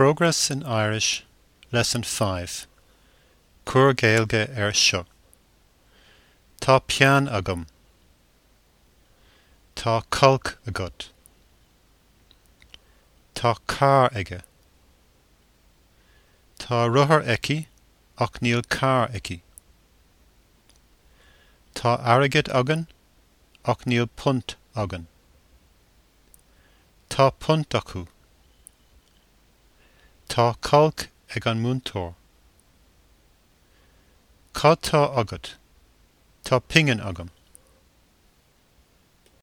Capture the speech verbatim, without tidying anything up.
Progress in Irish, Lesson five. Cuir Gaeilge air seo. Tá peann agam. Tá cailc agat. Tá carr aige. Tá rothar aici ach níl carr aici. Tá airgead againn ach níl punt againn. Tá punt acu. Tá cailc ag an múinteoir. Cad tá agat? Tá pingin agam.